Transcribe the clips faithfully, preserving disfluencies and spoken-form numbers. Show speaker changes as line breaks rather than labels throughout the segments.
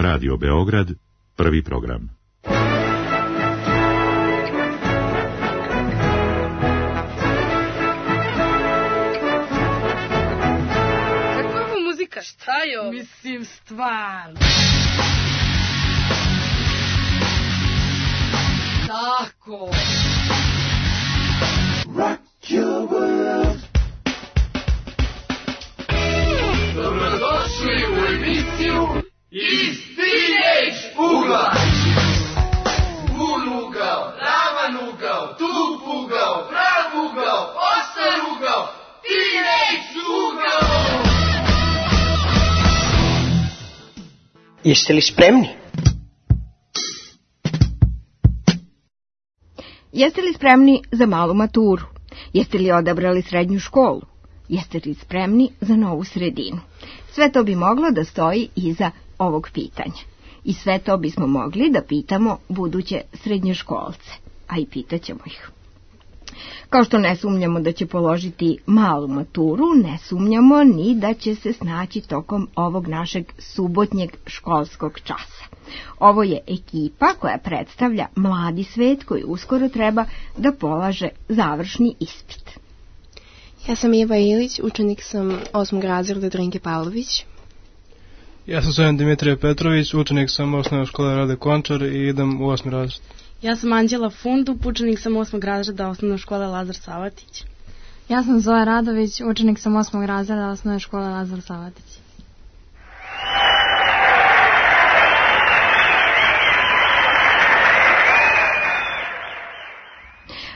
Radio Beograd, prvi program.
Kakva je muzika? Šta je ovo?
Mislim, stvarno. Tako.
Rock your world. Dobrodošli u emisiju Iz Teenage ugla. Vun ugao, ravan ugao, tup ugao, prav ugao, ostar ugao, Teenage ugao.
Jeste li spremni?
Jeste li spremni za malu maturu? Jeste li odabrali srednju školu? Jeste li spremni za novu sredinu? Sve to bi moglo da stoji iza ovog pitanja. I sve to bismo mogli da pitamo buduće srednjoškolce, a i pitaćemo ih. Kao što ne sumnjamo da će položiti malu maturu, ne sumnjamo ni da će se snaći tokom ovog našeg subotnjeg školskog časa. Ovo je ekipa koja predstavlja mladi svet koji uskoro treba da polaže završni ispit.
Ja sam Iva Ilić, učenik sam osmog razreda Drinke Pavlović.
Ja sam Sojan Dimitrije Petrović, učenik sam osnovne škole Rade Končar i idem u osmi razred.
Ja sam Anđela Fundup, učenik sam osmog razreda osnovne škole Lazar Savatić.
Ja sam Zoja Radović, učenik sam osmog razreda osnovne škole Lazar Savatić.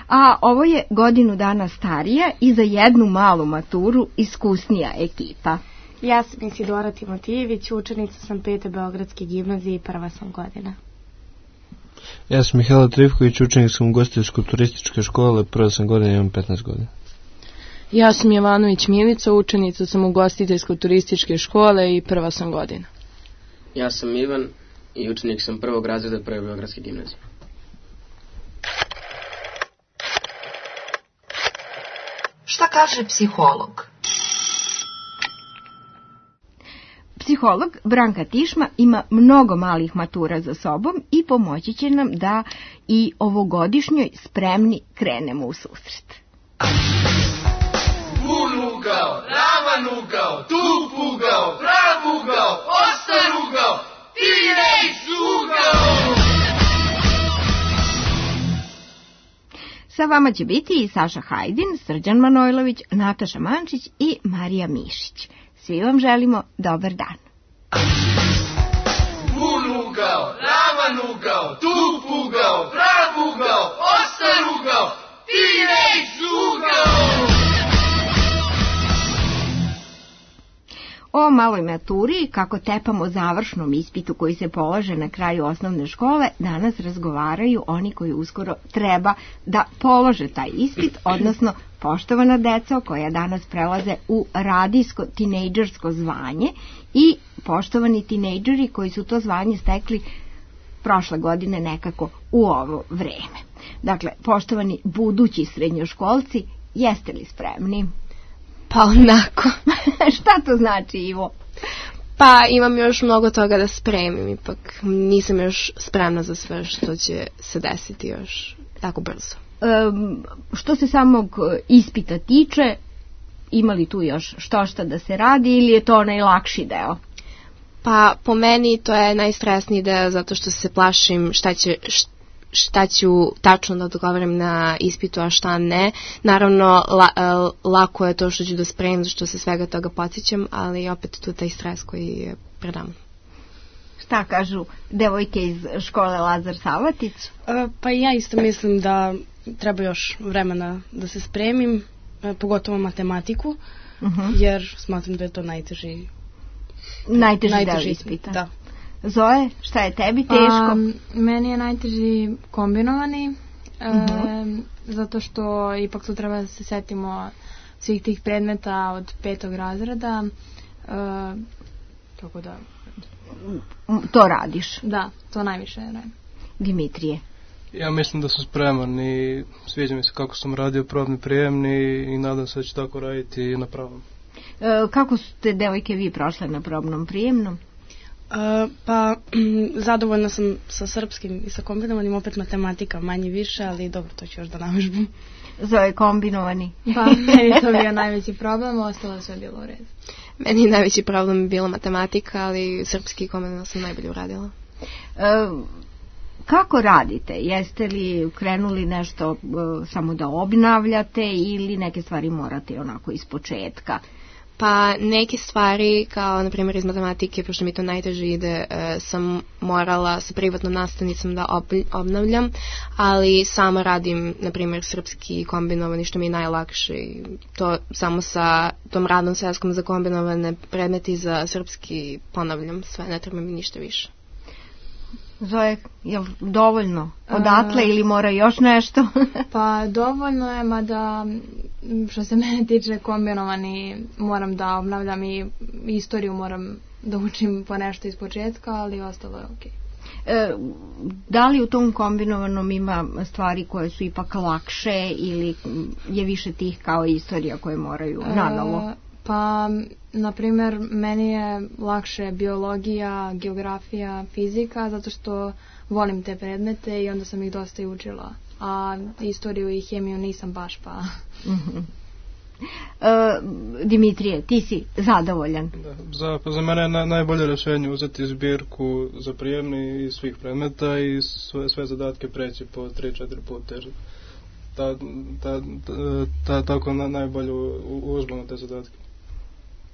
A ovo je godinu dana starija i za jednu malu maturu iskusnija ekipa.
Ja sam Isidora Timotijević, učenica sam pete Beogradske gimnazije i prva sam godina.
Ja sam Mihajlo Trivković, učenik sam ugostiteljsko-turističke škole, prva sam godina i imam petnaest godina.
Ja sam Jovanović Milica, učenica sam ugostiteljsko-turističke škole i prva sam godina.
Ja sam Ivan i učenik sam prvog razreda prve Beogradske gimnazije.
Šta kaže psiholog?
Psiholog Branka Tišma ima mnogo malih matura za sobom i pomoći će nam da i ovogodišnjoj spremni krenemo u susret.
Vun ugao, ravan ugao, tup ugao, prav ugao, ostar ugao, Teenage ugao.
Sa vama će biti i Saša Hajdin, Srđan Manojlović, Nataša Mančić i Marija Mišić. Svi vam želimo dobar dan.
Vun ugao, ravan ugao, tup ugao, prav ugao, ostar ugao, Teenage ugao.
O maloj maturi, kako tepamo završnom ispitu koji se polaže na kraju osnovne škole, danas razgovaraju oni koji uskoro treba da polože taj ispit, odnosno poštovana deco koja danas prelaze u radijsko tinejdžersko zvanje i poštovani tinejdžeri koji su to zvanje stekli prošle godine nekako u ovo vreme. Dakle, poštovani budući srednjoškolci, jeste li spremni?
Pa onako.
Šta to znači, Ivo?
Pa imam još mnogo toga da spremim, ipak nisam još spremna za sve što će se desiti još tako brzo.
Um, što se samog ispita tiče, ima li tu još što šta da se radi ili je to najlakši deo?
Pa po meni to je najstresniji deo zato što se plašim šta će... Šta šta ću tačno da odgovaram na ispitu, a šta ne. Naravno, la, lako je to što ću da spremim, što se svega toga podsjećam, ali opet tu taj stres koji je pred nama.
Šta kažu devojke iz škole Lazar Savatić?
E, pa ja isto mislim da treba još vremena da se spremim, e, pogotovo matematiku, uh-huh. jer smatram da je to najteži,
najteži,
najteži
deo ispita.
Da.
Zoe, šta je tebi teško?
Pa, meni je najteži kombinovani, uh-huh. e, zato što ipak tu treba da se setimo svih tih predmeta od petog razreda, e, tako da...
To radiš?
Da, to najviše radim.
Dimitrije?
Ja mislim da sam spreman i sviđa mi se kako sam radio probni prijemni i nadam se da ću tako raditi i na pravom.
E, kako ste devojke vi prošle na probnom prijemnom?
Uh, pa, zadovoljna sam sa srpskim i sa kombinovanim, opet matematika manje više, ali dobro, to ću još da navežbam.
Zove kombinovani.
Pa, meni je to bio najveći problem, ostalo sve bilo u redu.
Meni je najveći problem je bila matematika, ali srpski kombinovan sam najbolje uradila.
Uh, kako radite? Jeste li krenuli nešto uh, samo da obnavljate ili neke stvari morate onako iz početka?
Pa neke stvari, kao na primjer iz matematike, pošto mi to najteže ide, e, sam morala sa privatnom nastavnicom da ob, obnavljam, ali sama radim, na primjer, srpski kombinovani, što mi je najlakše. To samo sa tom radnom sveskom za kombinovane predmeti za srpski ponavljam sve, ne treba mi ništa više.
Zoe, je li dovoljno odatle uh, ili mora još nešto?
Pa dovoljno je, mada što se mene tiče kombinovani moram da obnavljam i istoriju moram da učim po nešto iz početka, ali ostalo je okej.
E, da li u tom kombinovanom ima stvari koje su ipak lakše ili je više tih kao istorija koje moraju nanovo?
E, pa, na primjer, meni je lakše biologija, geografija, fizika, zato što volim te predmete i onda sam ih dosta i učila. A istoriju i hemiju nisam baš, pa...
Mm-hmm. Uh, Dimitrije, ti si zadovoljan?
Da, za, za mene je na, najbolje rješenje uzeti zbirku za prijemni iz svih predmeta i sve, sve zadatke preći po tri četiri puta. Ta, ta, ta, ta, tako na, najbolje uzmano te zadatke.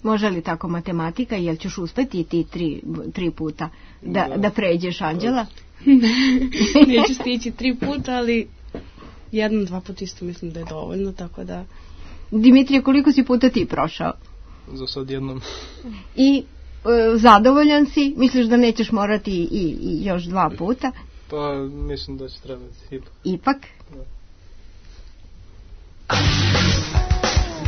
Može li tako matematika, jel ćeš uspeti ti tri, tri puta da, da. da pređeš, Anđela?
Neću stići tri puta, ali jedan, dva puta isto mislim da je dovoljno, tako da...
Dimitrije, koliko si puta ti prošao?
Za sad jednom.
I e, zadovoljan si? Misliš da nećeš morati i, i još dva puta?
Pa mislim da će trebati ipak.
Ipak?
Da.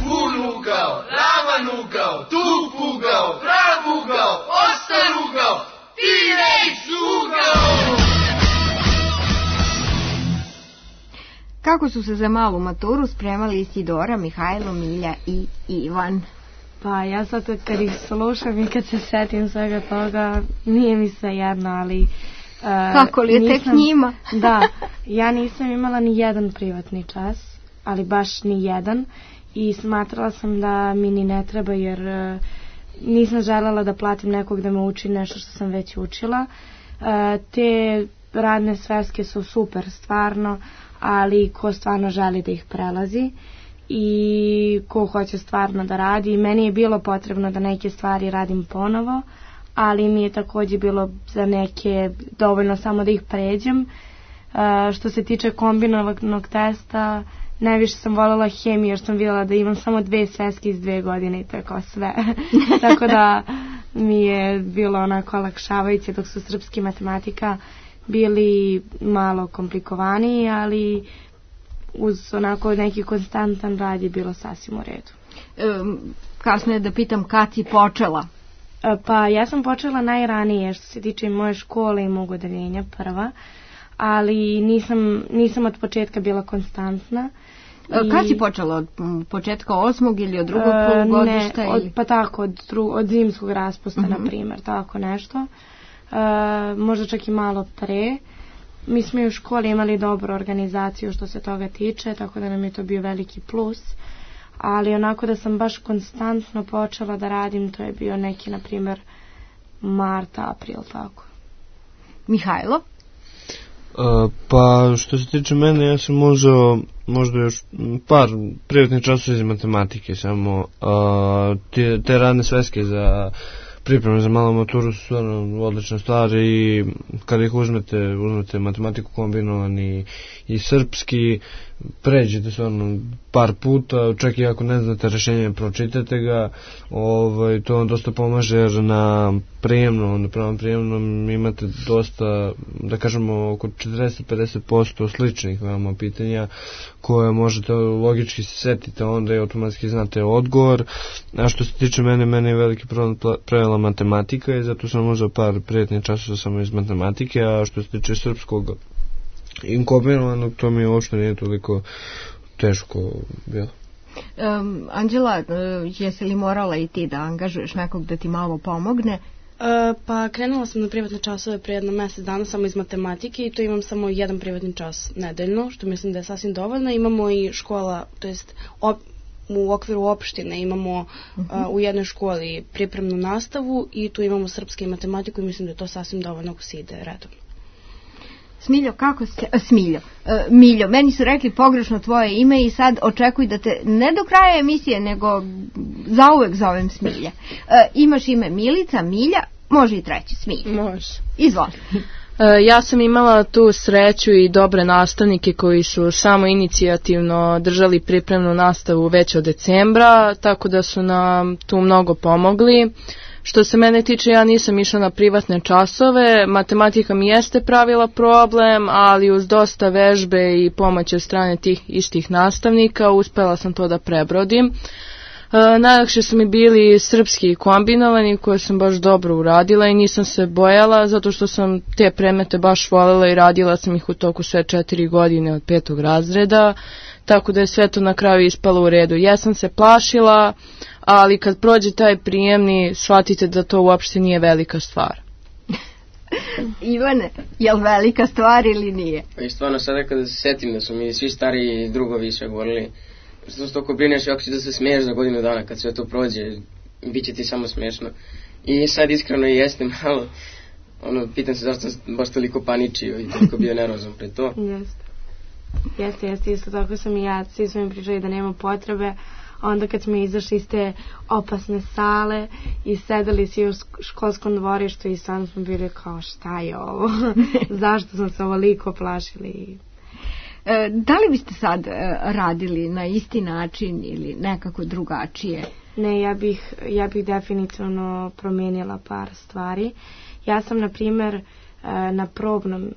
Bun ugao, ravan ugao, tup ugao, prav ugao, ostar ugao, T-Rex ugao!
Kako su se za malu maturu spremali Isidora, Mihajlo, Milja i Ivan?
Pa ja sad kad ih slušam i kad se setim svega toga, nije mi sve jedno, ali... Uh,
Kako li je
nisam,
tek njima?
Da, ja nisam imala ni jedan privatni čas, ali baš ni jedan. I smatrala sam da mi ni ne treba, jer uh, nisam željela da platim nekog da me uči nešto što sam već učila. Uh, te radne sveske su super, stvarno, ali ko stvarno želi da ih prelazi i ko hoće stvarno da radi. Meni je bilo potrebno da neke stvari radim ponovo, ali mi je također bilo za neke dovoljno samo da ih pređem. Uh, što se tiče kombinovanog testa, najviše sam voljela hemiju, jer sam vidjela da imam samo dve sveske iz dve godine i to je kao sve. Tako da mi je bilo onako olakšavajuće, dok su srpski matematika bili malo komplikovaniji, ali uz onako neki konstantan rad je bilo sasvim u redu.
E, kasnije da pitam kad si počela?
E, pa ja sam počela najranije što se tiče moje škole i mog odeljenja, prva, ali nisam, nisam od početka bila konstantna.
I... Kad si počela? Od početka osmog ili od drugog polugodišta?
Ne, od, pa tako, od, dru, od zimskog raspusta, uh-huh. na primjer, tako nešto. Uh, možda čak i malo pre. Mi smo i u školi imali dobru organizaciju što se toga tiče, tako da nam je to bio veliki plus. Ali onako da sam baš konstantno počela da radim, to je bio neki, na primjer, mart, april, tako.
Mihajlo?
Uh, pa što se tiče mene, ja sam uzeo možda još par privatnih časova iz matematike, samo uh, te, te radne sveske za pripreme za malu maturu su stvarno odlične stvari i kada ih uzmete, uzmete matematiku kombinovani i srpski, pređete stvarno par puta, čak i ako ne znate rješenje, pročitate ga, ovaj, to vam dosta pomaže jer na prijemnom, na pravom prijemnom imate dosta, da kažemo, oko četrdeset do pedeset posto sličnih veoma pitanja koje možete logički se setite onda i automatski znate odgovor. A što se tiče mene, mene je veliki problem pravila matematika i zato sam uzeo par prijetnih časova samo iz matematike, a što se tiče srpskog inkombinovanog, to mi uopšte nije toliko teško bilo.
Um, Anđela, uh, jesi li morala i ti da angažuješ nekog da ti malo pomogne?
pa krenula sam na privatne časove pre jedno mjesec dana samo iz matematike i to imam samo jedan privatni čas nedeljno, što mislim da je sasvim dovoljno. Imamo i škola, to jest op, u okviru opštine imamo uh-huh. uh, u jednoj školi pripremnu nastavu i tu imamo srpski i matematiku i mislim da je to sasvim dovoljno ako se ide redovno.
Smiljo, kako se... A, Smiljo, uh, Miljo, meni su rekli pogrešno tvoje ime i sad očekuj da te ne do kraja emisije, nego zauvek zovem Smilja. Uh, imaš ime Milica, Milja, može i treći, Smilja.
Može.
Izvoli.
Ja sam imala tu sreću i dobre nastavnike koji su samo inicijativno držali pripremnu nastavu već od decembra, tako da su nam tu mnogo pomogli. Što se mene tiče, ja nisam išla na privatne časove, matematika mi jeste pravila problem, ali uz dosta vežbe i pomoći od strane tih istih nastavnika uspela sam to da prebrodim. E, najlakše su mi bili srpski kombinovani koje sam baš dobro uradila i nisam se bojala zato što sam te predmete baš voljela i radila sam ih u toku sve četiri godine od petog razreda, tako da je sve to na kraju ispalo u redu. Ja sam se plašila, ali kad prođe taj prijemni shvatite da to uopšte nije velika stvar.
Ivane, je li velika stvar ili nije?
Pa i stvarno sada kada se setim da su mi svi stariji drugovi sve govorili što se toliko brineš i ako ćeš da se smiješ za godinu dana kad sve to prođe, bit će ti samo smiješno. I sad iskreno i jeste malo, ono, pitam se zašto sam baš toliko paničio i toliko bio nervozan pred to.
Jeste, jeste, jeste, isto tako sam i ja, svi su mi pričali da nema potrebe, onda kad smo izašli iz te opasne sale i sedeli svi u školskom dvorištu i sam smo bili kao šta je ovo, zašto smo se ovoliko plašili.
E, da li biste sad e, radili na isti način ili nekako drugačije?
Ne, ja bih, ja bih definitivno promijenila par stvari. Ja sam, na primjer, e, na probnom,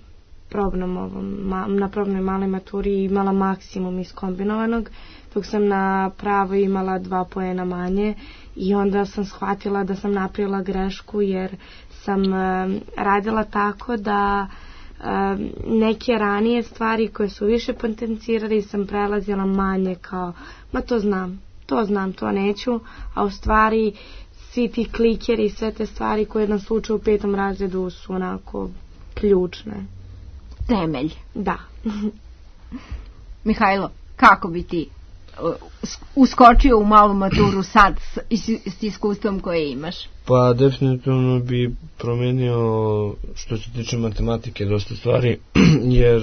probnom ovom, ma, na probnoj maloj maturi imala maksimum iz kombinovanog, dok sam na pravo imala dva poena manje i onda sam shvatila da sam napravila grešku jer sam e, radila tako da Um, neke ranije stvari koje su više potencirali sam prelazila manje kao, ma to znam, to znam, to neću, a u stvari svi ti klikeri i sve te stvari koje nas uče u petom razredu su onako ključne.
Temelj.
Da.
Mihajlo, kako bi ti uskočio u malu maturu sad s, s iskustvom koje imaš?
Pa definitivno bi promijenio što se tiče matematike dosta stvari, jer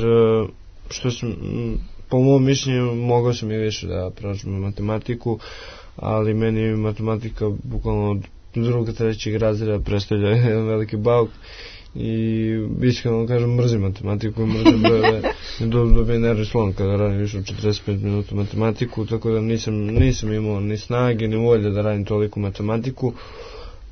što sam, po mom mišljenju mogao sam i više da prođem matematiku, ali meni matematika bukvalno od drugog, trećeg razreda predstavlja jedan veliki bauk i iskreno kažem mrzim matematiku, mrzim brojeve, dobijem nervni slom kada radim više od četrdeset pet minuta matematiku, tako da nisam, nisam imao ni snage ni volje da radim toliko matematiku,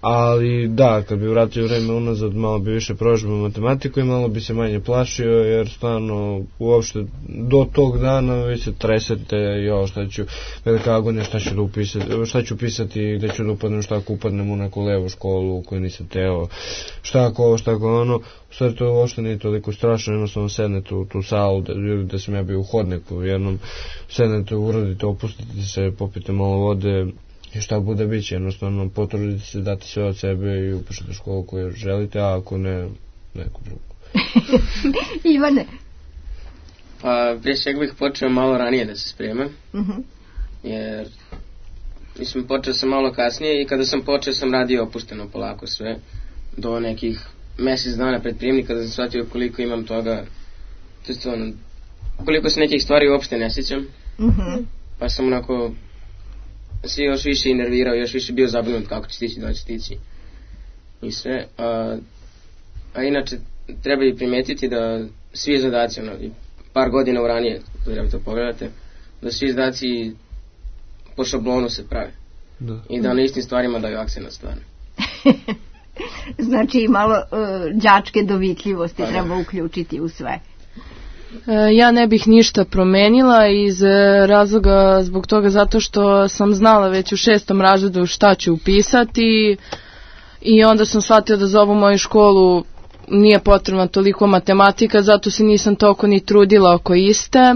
ali da, kad bi vratio vreme unazad malo bi više prožbao matematiku i malo bi se manje plašio, jer stvarno uopšte do tog dana vi se tresete, jo šta ću, velika agonija, šta ću da upisati, šta ću pisati, gde ću da upadnem, šta ako upadnem u neku levu školu u kojoj nisam teo, šta ako ovo, šta ako ono, u stvari to uopšte nije toliko strašno, jednostavno sednete u tu salu, da, da sam ja bio u hodniku, jednom sednete, uradite, opustite se, popite malo vode, i šta bude bit će, jednostavno potrudite se dati sve od sebe i upišete školu koju želite, a ako ne, neku drugu.
Ivane?
Pa prije svega bih počeo malo ranije da se spremam,
uh-huh.
jer mislim počeo sam malo kasnije i kada sam počeo sam radio opušteno polako sve, do nekih mjesec dana pred prijemni kada sam shvatio koliko imam toga, to je ono, koliko se nekih stvari uopšte ne sjećam,
uh-huh.
pa sam onako se još više nervirao, još više bio zabrinut kako će stići, da će stići i sve. A, a inače treba i primetiti da svi zadaci, ono, par godina u ranije, kada to pogledate, da svi zadaci po šablonu se prave.
Da.
I da na istim stvarima daju akcent stvarno.
Znači malo uh, đačke dovitljivosti pa, treba uključiti u sve.
Ja ne bih ništa promenila iz razloga zbog toga zato što sam znala već u šestom razredu šta ću upisati i onda sam shvatila da za ovu moju školu nije potrebna toliko matematika, zato se nisam toliko ni trudila oko iste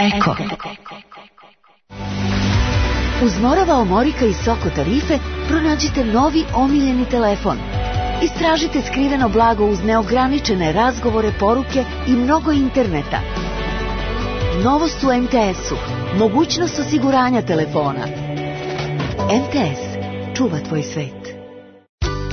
Eko. Uz Morava Omorika i Soko tarife pronađite novi omiljeni telefon. Istražite skriveno blago uz neograničene razgovore, poruke i mnogo interneta. Novost u em te esu. Mogućnost osiguranja telefona. em te es. Čuva tvoj svet.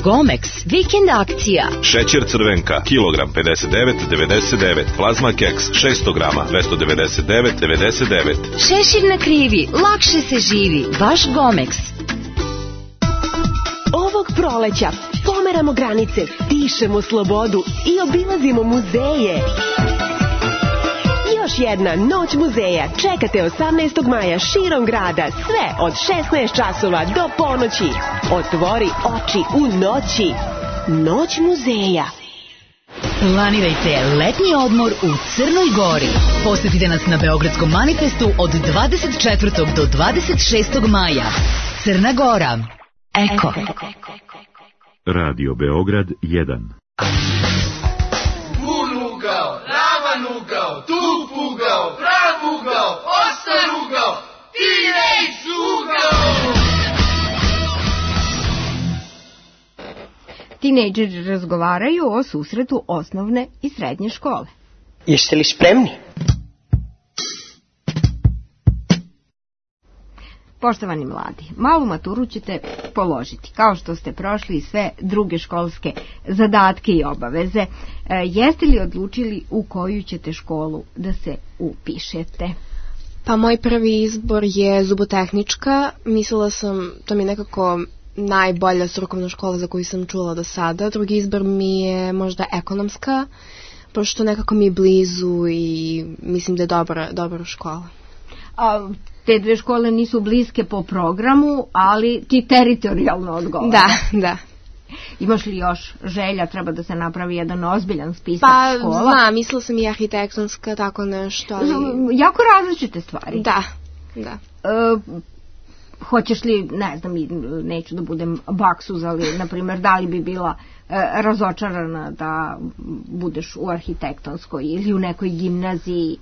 Gomex, vikend akcija.
Šećer crvenka, kilogram pedeset devet devedeset devet. Plazma keks, šesto grama, dvesta devedeset devet devedeset devet.
Šešir na krivi, lakše se živi, baš Gomex.
Ovog proleća pomeramo granice, dišemo slobodu i obilazimo muzeje. Još jedna noć muzeja čekate osamnaestog maja širom grada, sve od šesnaest časova do ponoći. Otvori oči u noći. Noć muzeja.
Planirajte letnji odmor u Crnoj Gori. Posetite nas na Beogradskom manifestu od dvadeset četvrtog do dvadeset šestog maja. Crna Gora. Eko.
Radio Beograd jedan.
Ugao, ravan ugao, tup ugao, prav ugao, ostar ugao, teenage ugao.
Tinejdžeri razgovaraju o susretu osnovne i srednje škole.
Jeste li spremni?
Poštovani mladi, malu maturu ćete položiti, kao što ste prošli sve druge školske zadatke i obaveze. E, jeste li odlučili u koju ćete školu da se upišete?
Pa moj prvi izbor je zubotehnička. Mislila sam, to mi je nekako najbolja strukovna škola za koju sam čula do sada. Drugi izbor mi je možda ekonomska, pošto nekako mi je blizu i mislim da je dobra, dobra škola.
A te dve škole nisu bliske po programu, ali ti teritorijalno odgovara.
Da, da.
Imaš li još želja, treba da se napravi jedan ozbiljan spisak
pa,
škola?
Pa znam, mislila sam i arhitektonska, tako nešto. Ali...
Jako različite stvari.
Da, da.
E, hoćeš li, ne znam, neću da budem baksuz, ali, na primjer, da li bi bila e, razočarana da budeš u arhitektonskoj ili u nekoj gimnaziji?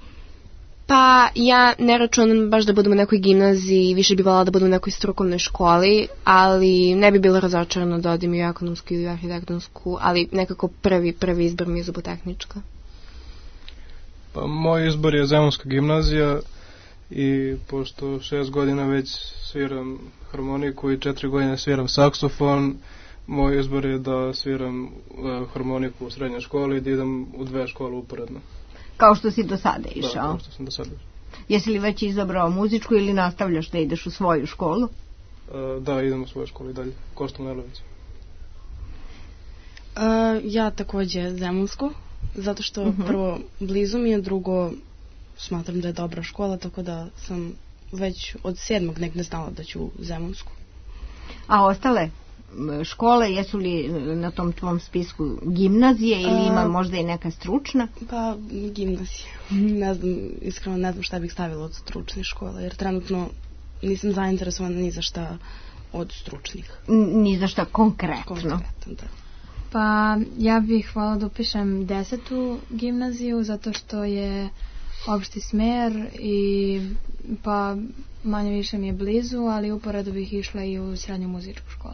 Pa ja ne računam baš da budem u nekoj gimnaziji, više bi voljela da budem u nekoj strukovnoj školi, ali ne bi bila razočarana da odim i u ekonomsku ili u arhitektonsku, ali nekako prvi, prvi izbor mi je zubotehnička.
Pa moj izbor je Zemunska gimnazija i pošto šest godina već sviram harmoniku i četiri godine sviram saksofon, moj izbor je da sviram uh, harmoniku u srednjoj školi i da idem u dve škole uporedno.
Kao što si do sada išao?
Da, kao što sam do sada išao.
Jesi li već izabrao muzičku ili nastavljaš da ideš u svoju školu?
Uh, da, idem u svoju školu i dalje. Kosta Manojlović.
Uh, ja takođe Zemunsku, zato što
Uh-huh.
prvo blizu mi je, drugo smatram da je dobra škola, tako da sam već od sedmog negde znala da ću u Zemunsku.
A ostale škole, jesu li na tom tvom spisku gimnazije ili ima možda i neka stručna?
Pa gimnazije. Ne znam, iskreno ne znam šta bih stavila od stručnih škola, jer trenutno nisam zainteresovana ni za šta od stručnih.
Ni za šta konkretno?
Konkretno, da.
Pa ja bih hvala da upišem desetu gimnaziju, zato što je opšti smer i pa manje više mi je blizu, ali uporedo bih išla i u srednju muzičku školu.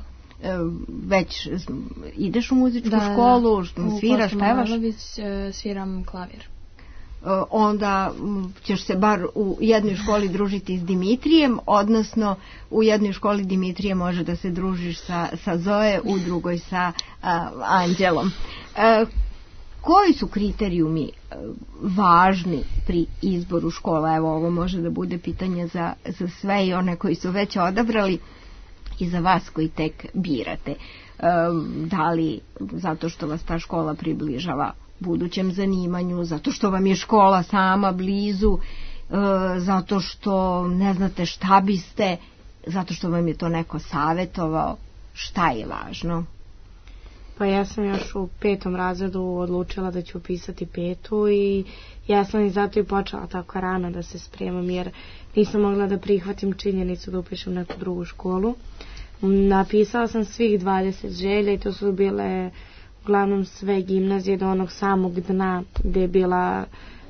Već ideš u muzičku
da,
školu,
u
sviraš, pevaš?
Da, sviram klavir.
Onda ćeš se bar u jednoj školi družiti s Dimitrijem, odnosno u jednoj školi Dimitrije može da se družiš sa, sa Zoe, u drugoj sa a, Anđelom. A, koji su kriterijumi važni pri izboru škola? Evo, ovo može da bude pitanje za, za sve i one koji su već odabrali i za vas koji tek birate. Da li zato što vas ta škola približava budućem zanimanju, zato što vam je škola sama blizu, zato što ne znate šta biste, zato što vam je to neko savjetovao, šta je važno?
Pa ja sam još u petom razredu odlučila da ću upisati petu i ja sam i zato i počela tako rano da se spremam, jer nisam mogla da prihvatim činjenicu da upišem neku drugu školu. Napisala sam svih dvadeset želja i to su bile uglavnom sve gimnazije do onog samog dna gde je bila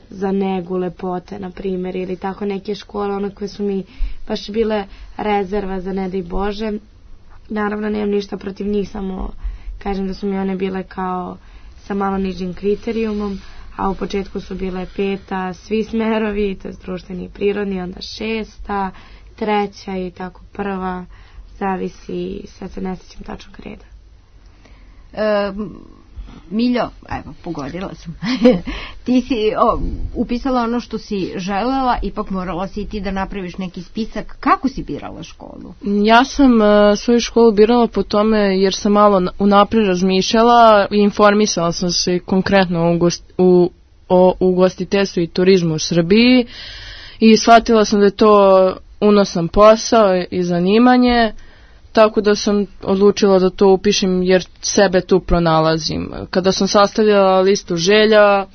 za negu lepote, na primjer, ili tako neke škole, one koje su mi baš bile rezerva za ne daj Bože. Naravno, nemam ništa protiv njih, samo kažem da su mi one bile kao sa malo nižim kriterijumom, a u početku su bile peta, svi smerovi, to je društveni i prirodni, onda šesta, treća i tako prva, zavisi, sad se ne sjećam tačnog reda.
E, Miljo, evo, pogodila sam. Ti si o, upisala ono što si želela, ipak morala si i ti da napraviš neki spisak. Kako si birala školu?
Ja sam uh, svoju školu birala po tome jer sam malo unaprijed razmišljala i informisala sam se konkretno u, gost, u, o ugostiteljstvu i turizmu u Srbiji i shvatila sam da je to unosan posao i zanimanje. Tako da sam odlučila da to upišem jer sebe tu pronalazim. Kada sam sastavljala listu želja,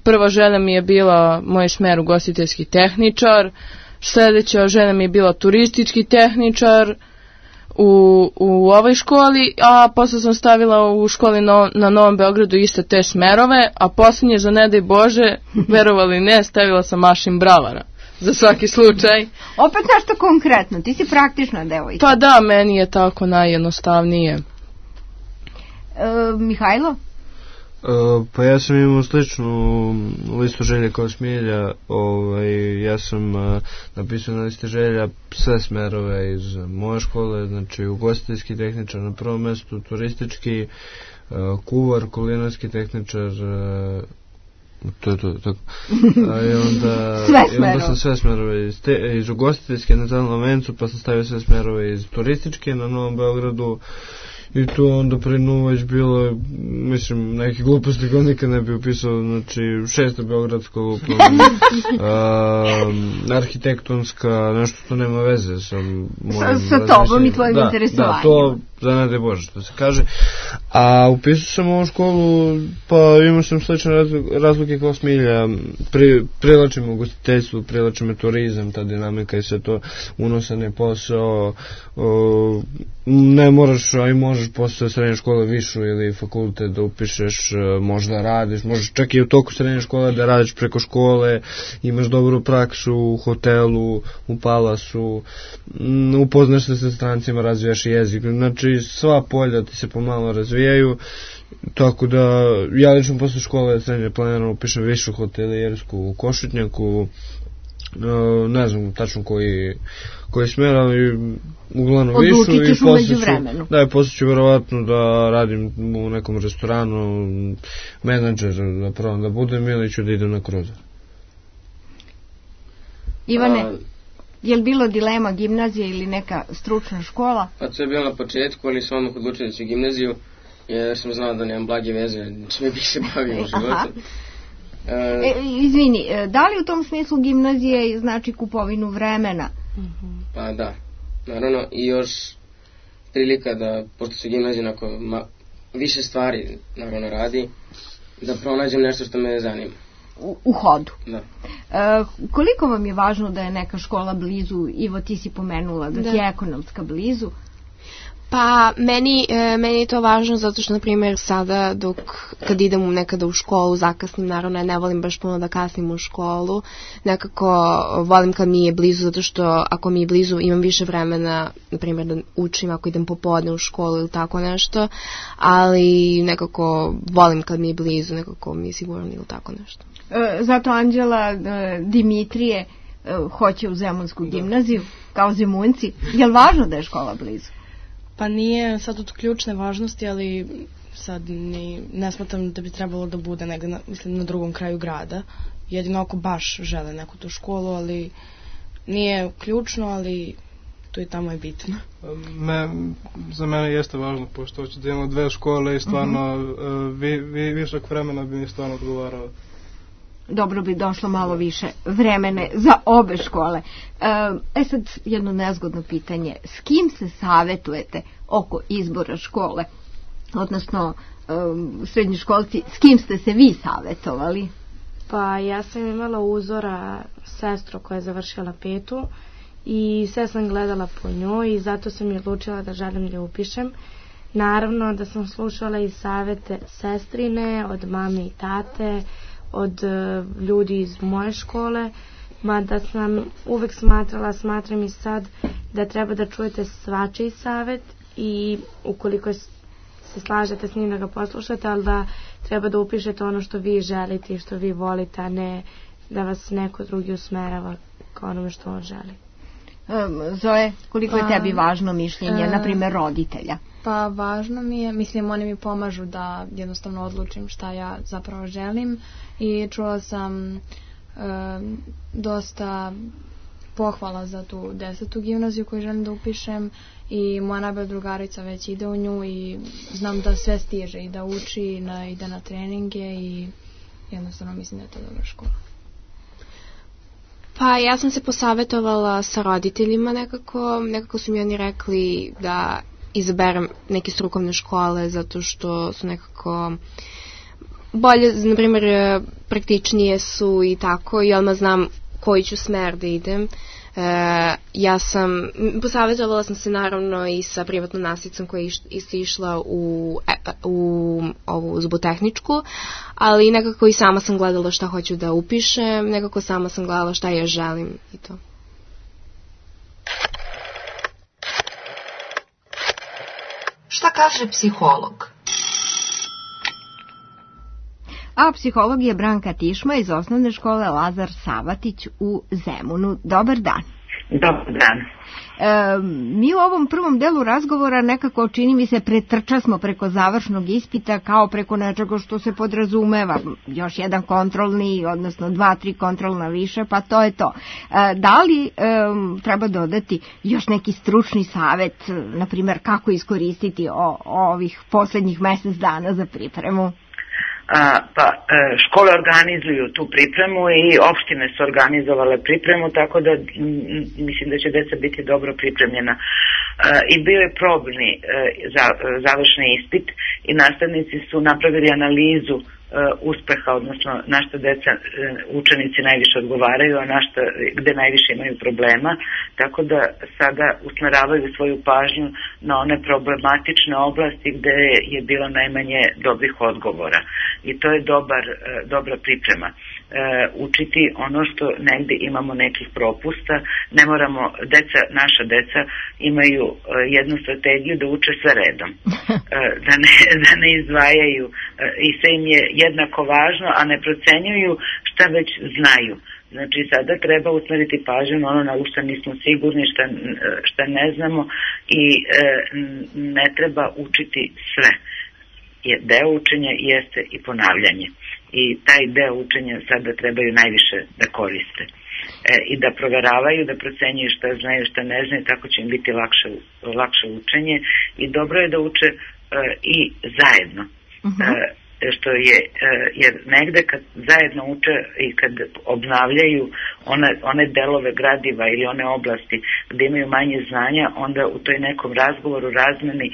prva želja mi je bila moj smer ugostiteljski tehničar, sljedeća želja mi je bila turistički tehničar u, u ovoj školi, a posle sam stavila u školi na, na Novom Beogradu iste te smerove, a posljednje za ne daj Bože, verovali ne, stavila sam mašin bravara. Za svaki slučaj.
Opet nešto konkretno, ti si praktična devojka.
Pa da, meni je tako najjednostavnije.
E, Mihajlo?
Uh, pa ja sam imao sličnu listu želja kao Smilja. Ovaj, ja sam uh, napisao na listi želja sve smerove iz moje škole, znači ugostiteljski tehničar na prvom mjestu, turistički, uh, kuvar, kulinarski tehničar, uh, to je to, tako. A, i onda, i onda sam sve smerove iz, te, iz ugostiteljske na Zelenom vencu, pa sam stavio sve smerove iz turističke na Novom Beogradu. I to onda pre nju već bilo, mislim, neke gluposti koje nikad ne bi upisao, znači šesta beogradska lupom, uh, arhitektonska, nešto to nema veze sa mojim
sa, sa tobom i tvojim
da,
interesovanjem.
Da, to za ne daj Bože što se kaže. A upisao sam ovu školu, pa imao sam slične razlike kao Smilja, pri, privlači me ugostiteljstvo, privlači me turizam, ta dinamika i sve to, unosan je posao, o, ne moraš, a i možeš posle srednje škole višu ili fakultet da upišeš, možda radiš, možeš čak i u toku srednje škole da radiš preko škole, imaš dobru praksu u hotelu, u palasu, upoznaš se sa strancima, razvijaš jezik, znači sva polja ti se pomalo razvijaju, tako da ja lično posle škole srednje planirano upišem višu hotelijersku u Košutnjaku, ne znam tačno koji koji smer, ali uglavnom višu i posle ću, da, posle ću verovatno da radim u nekom restoranu, menadžer da probam da budem ili ću da idem na kruzer.
Ivane, A, je li bilo dilema gimnazija ili neka stručna škola?
Pa to je bilo na početku, ali sam odmah odlučio da ću gimnaziju, jer sam znao da nemam blage veze, čime bih se bavio u životu.
Uh, e, izvini, da li u tom smislu gimnazije znači kupovinu vremena?
Pa da, naravno, i još prilika da, pošto su gimnazije onako ma, više stvari naravno radi, da pronađem nešto što me zanima.
U, u hodu.
Da.
E, koliko vam je važno da je neka škola blizu? Ivo, ti si pomenula da, da. ti je ekonomska blizu.
Pa meni, e, meni je to važno zato što, na primjer, sada dok kad idem nekada u školu, zakasnim, naravno ja ne volim baš puno da kasnim u školu, nekako volim kad mi je blizu zato što ako mi je blizu imam više vremena, na primjer da učim ako idem popodne u školu ili tako nešto, ali nekako volim kad mi je blizu, nekako mi je sigurno ili tako nešto.
E, zato Anđela e, Dimitrije e, hoće u Zemunsku gimnaziju, kao Zemunci. Je li važno da je škola blizu?
Pa nije sad od ključne važnosti, ali sad ni, ne smatram da bi trebalo da bude negde na, mislim, na drugom kraju grada. Jedino ako baš žele neku tu školu, ali nije ključno, ali tu i tamo je bitno.
Me, za mene jeste važno, pošto hoću da imamo dve škole i stvarno uh-huh. vi, vi, višak vremena bi mi stvarno odgovarao.
Dobro bi došlo malo više vremene za obe škole. E sad jedno nezgodno pitanje. S kim se savjetujete oko izbora škole? Odnosno, srednji školci, s kim ste se vi savjetovali?
Pa ja sam imala uzora sestru koja je završila petu i sve sam gledala po njoj i zato sam je odlučila da želim da upišem. Naravno da sam slušala i savjete sestrine, od mame i tate, od uh, ljudi iz moje škole, mada sam uvek smatrala, smatram i sad da treba da čujete svačiji savjet i ukoliko se slažete s njim da ga poslušate, ali da treba da upišete ono što vi želite i što vi volite, a ne da vas neko drugi usmerava kao onome što on želi.
Um, Zoe, koliko pa, je tebi važno mišljenje, uh, na primjer roditelja?
Pa važno mi je, mislim, oni mi pomažu da jednostavno odlučim šta ja zapravo želim i čula sam e, dosta pohvala za tu desetu gimnaziju koju želim da upišem i moja najbolja drugarica već ide u nju i znam da sve stiže i da uči i da ide na treninge i jednostavno mislim da je to dobra škola.
Pa ja sam se posavjetovala sa roditeljima nekako, nekako su mi oni rekli da izaberem neke strukovne škole zato što su nekako bolje, na primjer, praktičnije su i tako i odmah znam koji ću smer da idem. E, ja sam, posavjetovala sam se naravno i sa privatnom nastavnicom koja je isto išla u, u ovu zubotehničku, ali nekako i sama sam gledala šta hoću da upišem, nekako sama sam gledala šta ja želim i to.
Šta kaže psiholog?
a psiholog je Branka Tišma iz osnovne škole Lazar Savatić u Zemunu. Dobar dan.
Dobar dan.
E, mi u ovom prvom delu razgovora nekako, čini mi se, pretrča smo preko završnog ispita kao preko nečega što se podrazumeva. Još jedan kontrolni, odnosno dva, tri kontrolna više, pa to je to. E, da li e, treba dodati još neki stručni savet, na primjer kako iskoristiti o, o ovih poslednjih mesec dana za pripremu?
A, pa škole organizuju tu pripremu i opštine su organizovale pripremu, tako da m, mislim da će deca biti dobro pripremljena. A, I bio je probni a, za, završni ispit i nastavnici su napravili analizu uspeha, odnosno na što deca, učenici najviše odgovaraju, a na što, gde najviše imaju problema, tako da sada usmeravaju svoju pažnju na one problematične oblasti gde je bilo najmanje dobrih odgovora. I to je dobar, dobra priprema. Učiti ono što negde imamo nekih propusta, ne moramo, deca, naša deca imaju jednu strategiju da uče sve redom, da ne, da ne izdvajaju i sve im je jednako važno, a ne procenjuju šta već znaju. Znači sada treba usmeriti pažnju na ono na što nismo sigurni, šta, šta ne znamo i e, ne treba učiti sve. Je, deo učenja jeste i ponavljanje. I taj deo učenja sada trebaju najviše da koriste. E, I da proveravaju, da procenjuju šta znaju, šta ne znaju, tako će im biti lakše, lakše učenje. I dobro je da uče e, i zajedno. Uh-huh. E, što je, jer negde kad zajedno uče i kad obnavljaju one, one delove gradiva ili one oblasti gde imaju manje znanja, onda u toj nekom razgovoru, razmeni e,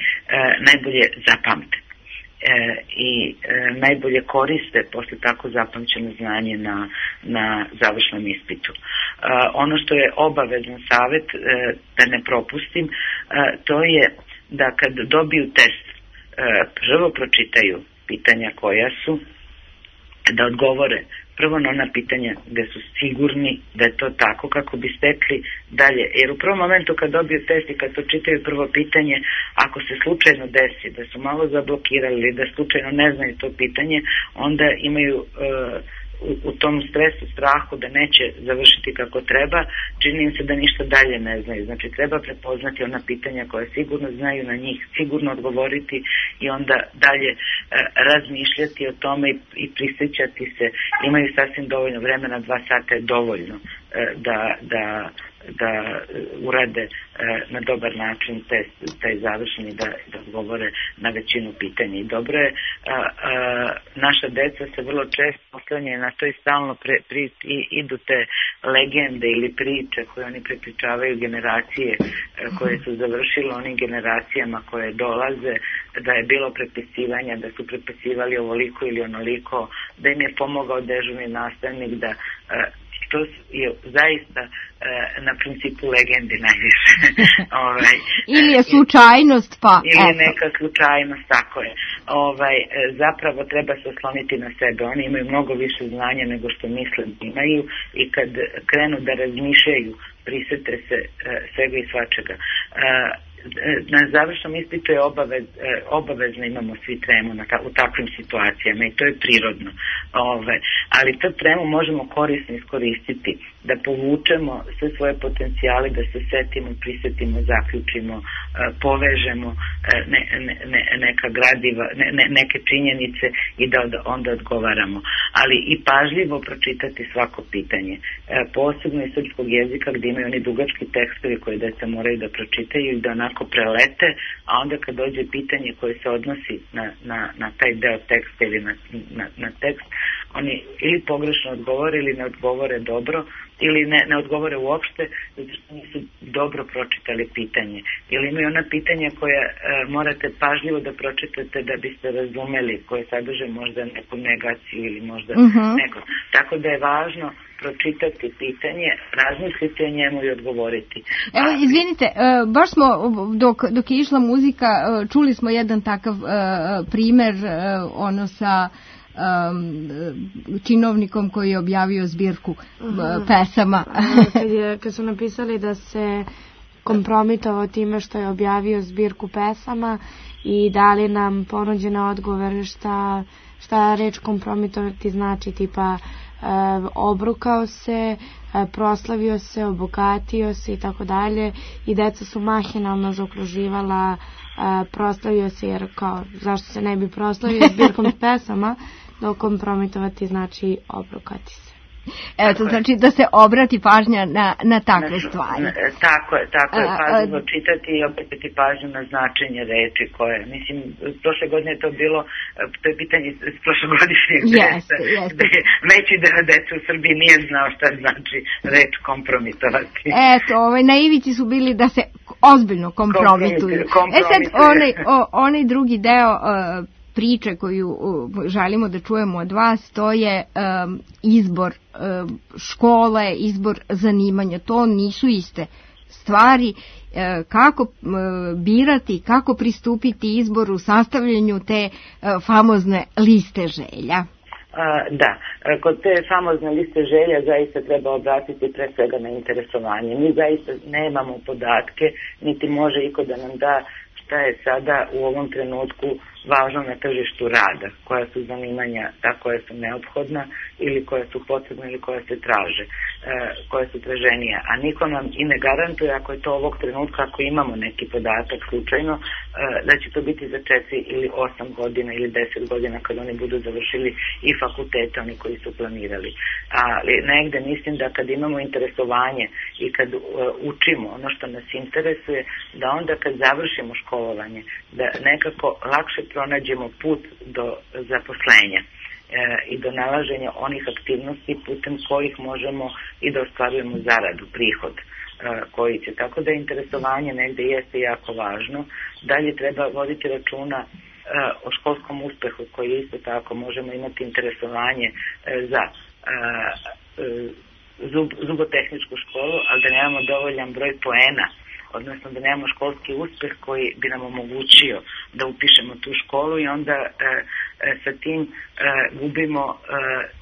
najbolje zapamte. E, i e, najbolje koriste posle tako zapamćeno znanje na, na završnom ispitu. E, ono što je obavezan savet, e, da ne propustim, e, to je da kad dobiju test, e, prvo pročitaju pitanja koja su, da odgovore prvo na ona pitanja gde su sigurni da je to tako kako bi stekli dalje. Jer u prvom momentu kad dobiju test i kad to čitaju prvo pitanje, ako se slučajno desi da su malo zablokirali ili da slučajno ne znaju to pitanje, onda imaju uh, u, u tom stresu, strahu da neće završiti kako treba, čini im se da ništa dalje ne znaju. Znači treba prepoznati ona pitanja koje sigurno znaju, na njih sigurno odgovoriti i onda dalje e, razmišljati o tome i, i prisjećati se. Imaju sasvim dovoljno vremena, dva sata je dovoljno e, da, da da urade e, na dobar način test, taj završni, da, da odgovore na većinu pitanja. I dobro je, a, a, naša deca se vrlo često oslanjaju na to i stalno pre, pri, i, idu te legende ili priče koje oni prepričavaju generacije e, koje su završile onim generacijama koje dolaze, da je bilo prepisivanja, da su prepisivali ovoliko ili onoliko, da im je pomogao dežurni nastavnik, da e, to je zaista e, na principu legendi najviše. ovaj,
ili je slučajnost, pa...
Ili je neka slučajnost, tako je. Ovaj, zapravo treba se osloniti na sebe. Oni imaju mnogo više znanja nego što misle da imaju i kad krenu da razmišljaju, prisete se e, svega i svačega. E, na završnom ispitu je obavez, obavezno imamo svi tremu na ta, u takvim situacijama i to je prirodno. Ove, ali to tremu možemo korisno iskoristiti, da povučemo sve svoje potencijale, da se setimo, prisetimo, zaključimo, povežemo ne, ne, ne, neka gradiva, ne, ne, neke činjenice i da onda odgovaramo. Ali i pažljivo pročitati svako pitanje. Posebno iz srpskog jezika gdje imaju oni dugački tekstovi koje deca moraju da pročitaju i da onako prelete, a onda kad dođe pitanje koje se odnosi na, na, na taj deo teksta ili na, na, na tekst, oni ili pogrešno odgovore ili ne odgovore dobro ili ne, ne odgovore uopšte zato što nisu dobro pročitali pitanje. Ili imaju ona pitanja koja e, morate pažljivo da pročitate da biste razumeli, koje sadrže možda neku negaciju ili možda uh-huh. neko. Tako da je važno pročitati pitanje, razmisliti o njemu i odgovoriti.
Evo, izvinite, baš smo, dok, dok je išla muzika, čuli smo jedan takav primer, ono sa um, činovnikom koji je objavio zbirku uh-huh. pesama.
kad, je, kad su napisali da se kompromitovao time što je objavio zbirku pesama i dali nam ponuđene odgovore šta šta reč kompromitovati znači, tipa Uh, obrukao se, uh, proslavio se, obogatio se i tako dalje, i deca su mahinalno zaokruživala uh, proslavio se, jer kao zašto se ne bi proslavio zbirkom pesama, dok kompromitovati znači obrukati se.
Evo, to znači da se obrati pažnja na, na takve stvari.
Tako je, tako je, pažljivo čitati i obratiti pažnju na značenje reči koje, mislim, prošle godine je to bilo, to je pitanje s prošlogodišnjeg testa, gde veći deo deca u Srbiji nije znao šta znači reč kompromitovati.
Eto, ovaj, na ivici su bili da se ozbiljno kompromituju. E sad, onaj, o, onaj drugi deo uh, priče koju želimo da čujemo od vas, to je um, izbor um, škole, izbor zanimanja. To nisu iste stvari. E, kako uh, birati, kako pristupiti izboru, sastavljanju te uh, famozne liste želja?
Da, kod te famozne liste želja zaista treba obratiti pre svega na interesovanje. Mi zaista nemamo podatke, niti može iko da nam da šta je sada u ovom trenutku važno na tržištu rada, koja su zanimanja ta koja su neophodna ili koja su potrebna ili koja se traže, e, koja su traženija. A niko nam i ne garantuje, ako je to ovog trenutka, ako imamo neki podatak slučajno, e, da će to biti za četiri ili osam godina ili deset godina kad oni budu završili i fakultete, oni koji su planirali. Ali negde mislim da kad imamo interesovanje i kad e, učimo ono što nas interesuje, da onda kad završimo školovanje, da nekako lakše pronađemo put do zaposlenja e, i do nalaženja onih aktivnosti putem kojih možemo i da ostvarujemo zaradu, prihod e, koji će. Tako da interesovanje negde jeste jako važno. Dalje treba voditi računa e, o školskom uspehu koji isto tako možemo imati interesovanje e, za e, zub, zubotehničku školu, ali da nemamo dovoljan broj poena, odnosno da nemamo školski uspeh koji bi nam omogućio da upišemo tu školu i onda e, e, sa tim e, gubimo e,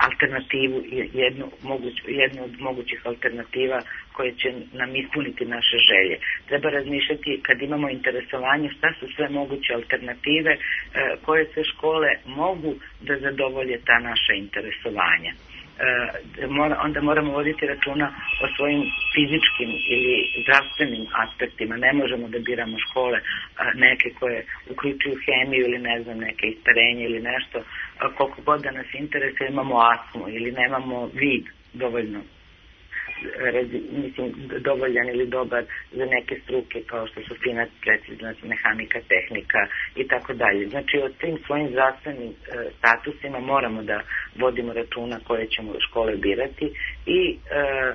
alternativu, jednu, moguć, jednu od mogućih alternativa koje će nam ispuniti naše želje. Treba razmišljati kad imamo interesovanje šta su sve moguće alternative, e, koje sve škole mogu da zadovolje ta naša interesovanja. E, mora, onda moramo voditi računa o svojim fizičkim ili zdravstvenim aspektima. Ne možemo da biramo škole a, neke koje uključuju hemiju ili ne znam, neke isparenje ili nešto, a, koliko god da nas interesuje, imamo astmu ili nemamo vid dovoljno rezi, mislim, dovoljan ili dobar za neke struke kao što su fina, precizna mehanika, tehnika i tako dalje. Znači, od tim svojim zdravstvenim e, statusima moramo da vodimo računa koje ćemo škole birati i e,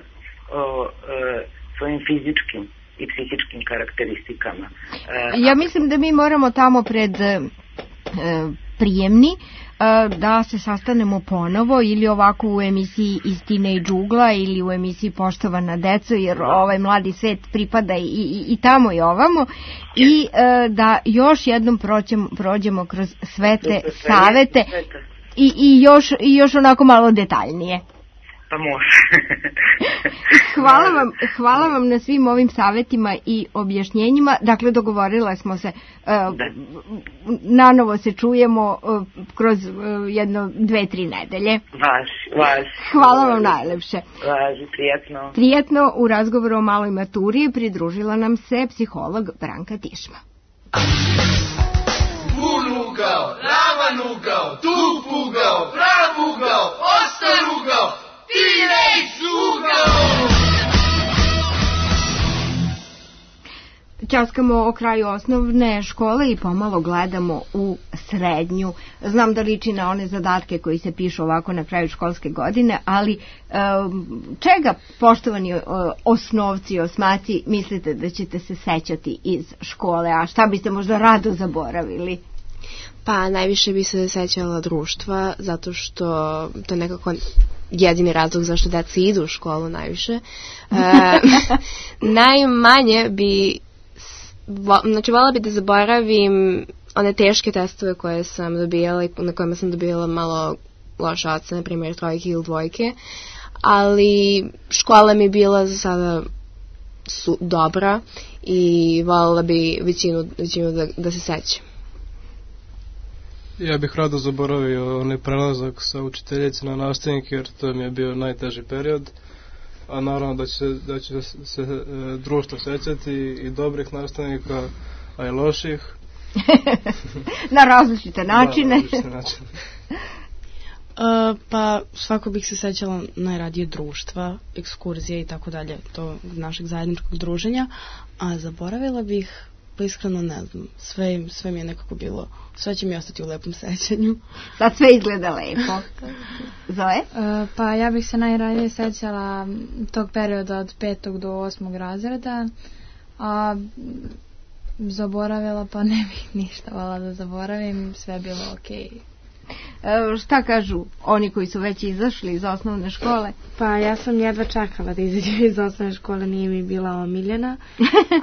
o e, svojim fizičkim i psihičkim karakteristikama. E,
ja mislim da mi moramo tamo pred e, prijemni da se sastanemo ponovo ili ovako u emisiji Istina i džugla ili u emisiji Poštovana deco, jer ovaj mladi svet pripada i, i, i tamo i ovamo, i e, da još jednom prođemo, prođemo kroz sve te savete i, i, još, i još onako malo detaljnije.
Pa može.
hvala, vam, hvala vam na svim ovim savjetima i objašnjenjima. Dakle, dogovorila smo se, uh, nanovo se čujemo uh, kroz uh, jedno, dve, tri nedelje.
Važi, važi.
Hvala vam najlepše.
Važi, prijetno.
Prijetno. U razgovoru o maloj maturi pridružila nam se psiholog Branka Tišma.
Bun ugao, ravan ugao, tup ugao, prav ugao, ostar ugao, Teenage ugao!
Ćaskamo o kraju osnovne škole i pomalo gledamo u srednju. Znam da liči na one zadatke koji se pišu ovako na kraju školske godine, ali um, čega, poštovani uh, osnovci, osmaci, mislite da ćete se sećati iz škole, a šta biste možda rado zaboravili?
Pa najviše bi se sećala društva, zato što to je nekako jedini razlog zašto deca idu u školu najviše. E, najmanje bi, vo, znači voljela bi da zaboravim one teške testove koje sam dobijala i na kojima sam dobijala malo loše ocene, na primjer trojke ili dvojke, ali škola mi je bila za sada su, dobra i voljela bi većinu, većinu da, da se sećam.
Ja bih rado zaboravio onaj prelazak sa učiteljice na nastavnike, jer to mi je bio najteži period. A naravno da će, da će se e, društvo sećati i dobrih nastavnika, a i loših.
Na različite načine.
Da, različite načine.
Uh, pa svako bih se sećala najradije društva, ekskurzije i tako dalje, to našeg zajedničkog druženja, a zaboravila bih, pa iskreno ne znam, sve, sve mi je nekako bilo, sve će mi ostati u lepom sećanju.
Sad sve izgleda lepo. Zoe?
Uh, pa ja bih se najradije sećala tog perioda od petog do osmog razreda, a zaboravila pa ne bih ništa vala da zaboravim, sve je bilo okej. Okay.
E, šta kažu oni koji su već izašli iz osnovne škole?
Pa ja sam jedva čekala da izađem iz osnovne škole, nije mi bila omiljena,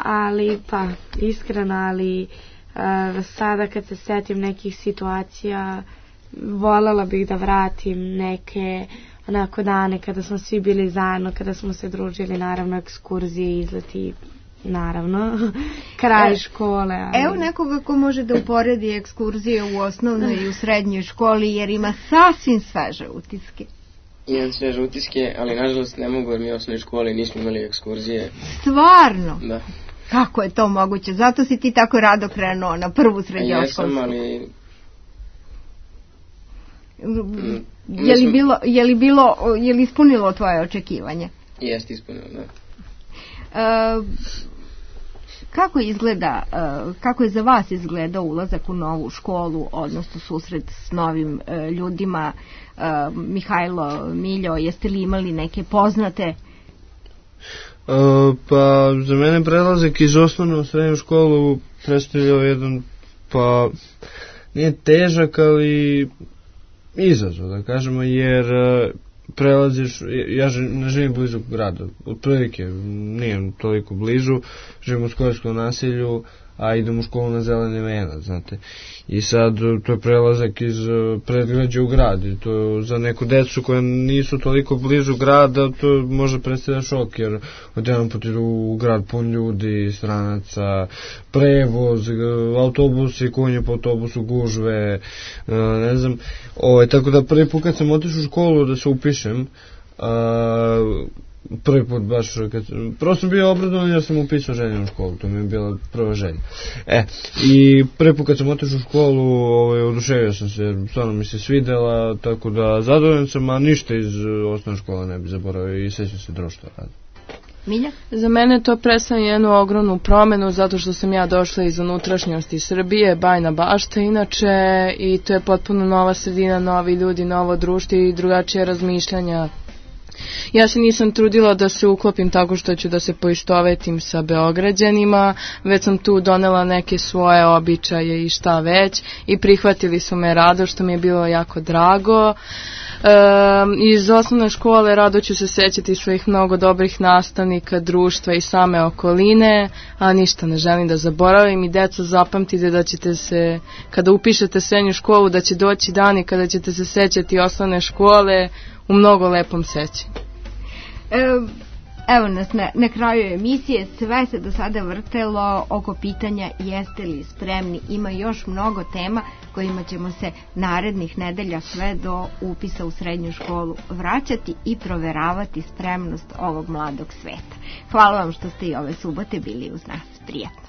ali pa iskreno, ali uh, sada kad se setim nekih situacija, voljela bih da vratim neke onako dane kada smo svi bili zajedno, kada smo se družili, naravno ekskurzije, izleti, naravno, kraj škole. Ali...
Evo nekoga ko može da uporedi ekskurzije u osnovnoj i u srednjoj školi, jer ima sasvim sveže utiske.
Imam sveže utiske, ali nažalost ne mogu, jer mi u osnovnoj školi nismo imali ekskurzije.
Stvarno?
Da.
Kako je to moguće? Zato si ti tako rado krenuo na prvu srednjoškolsku.
Jesam, ali...
Mm, je li bilo, je li bilo, je li ispunilo tvoje očekivanja?
Jeste ispunilo, da.
Uh, kako izgleda, uh, kako je za vas izgledao ulazak u novu školu, odnosno susret s novim uh, ljudima? Uh, Mihajlo, Miljo, jeste li imali neke poznate?
Uh, pa za mene prelazak iz osnovne u srednju školu predstavljao jedan, pa nije težak, ali izazov, da kažemo, jer uh, prelaziš, ja ne živim blizu grada, otprilike nijem toliko blizu, živim u Skorskom naselju, a idem u školu na Zeleni venac, znate. I sad to je prelazak iz predgrađa u grad, i to za neku decu koja nisu toliko blizu grada, to može predstavlja šok, jer odjedan put idu u grad pun ljudi, stranaca, prevoz, autobusi, konje po autobusu, gužve, ne znam. O, tako da prvi put kad sam otišao u školu da se upišem, a, prvi put baš kad, prosto sam bio obradovan, ja sam upisao željenu školu, to mi je bila prva želja. E, i prvi put kad sam otišao u školu, ovaj, oduševio sam se, stvarno mi se svidela, tako da zadovoljan sam, a ništa iz osnovne škole ne bi zaboravio i sećam se društva rada.
Milja?
Za mene to predstavlja jednu ogromnu promenu, zato što sam ja došla iz unutrašnjosti Srbije, Bajna Bašta inače, i to je potpuno nova sredina, novi ljudi, novo društvo i drugačije razmišljanja. Ja se nisam trudila da se uklopim tako što ću da se poistovetim sa Beograđanima, već sam tu donela neke svoje običaje i šta već, i prihvatili su me rado, što mi je bilo jako drago. E, iz osnovne škole rado ću se sećati svojih mnogo dobrih nastavnika, društva i same okoline, a ništa ne želim da zaboravim. I deco, zapamtite da ćete se, kada upišete srednju školu, da će doći dani kada ćete se sećati osnovne škole u mnogo lepom sećanju.
E, evo nas na, na kraju emisije, sve se do sada vrtelo oko pitanja jeste li spremni. Ima još mnogo tema kojima ćemo se narednih nedelja sve do upisa u srednju školu vraćati i proveravati spremnost ovog mladog sveta. Hvala vam što ste i ove subote bili uz nas. Prijatno.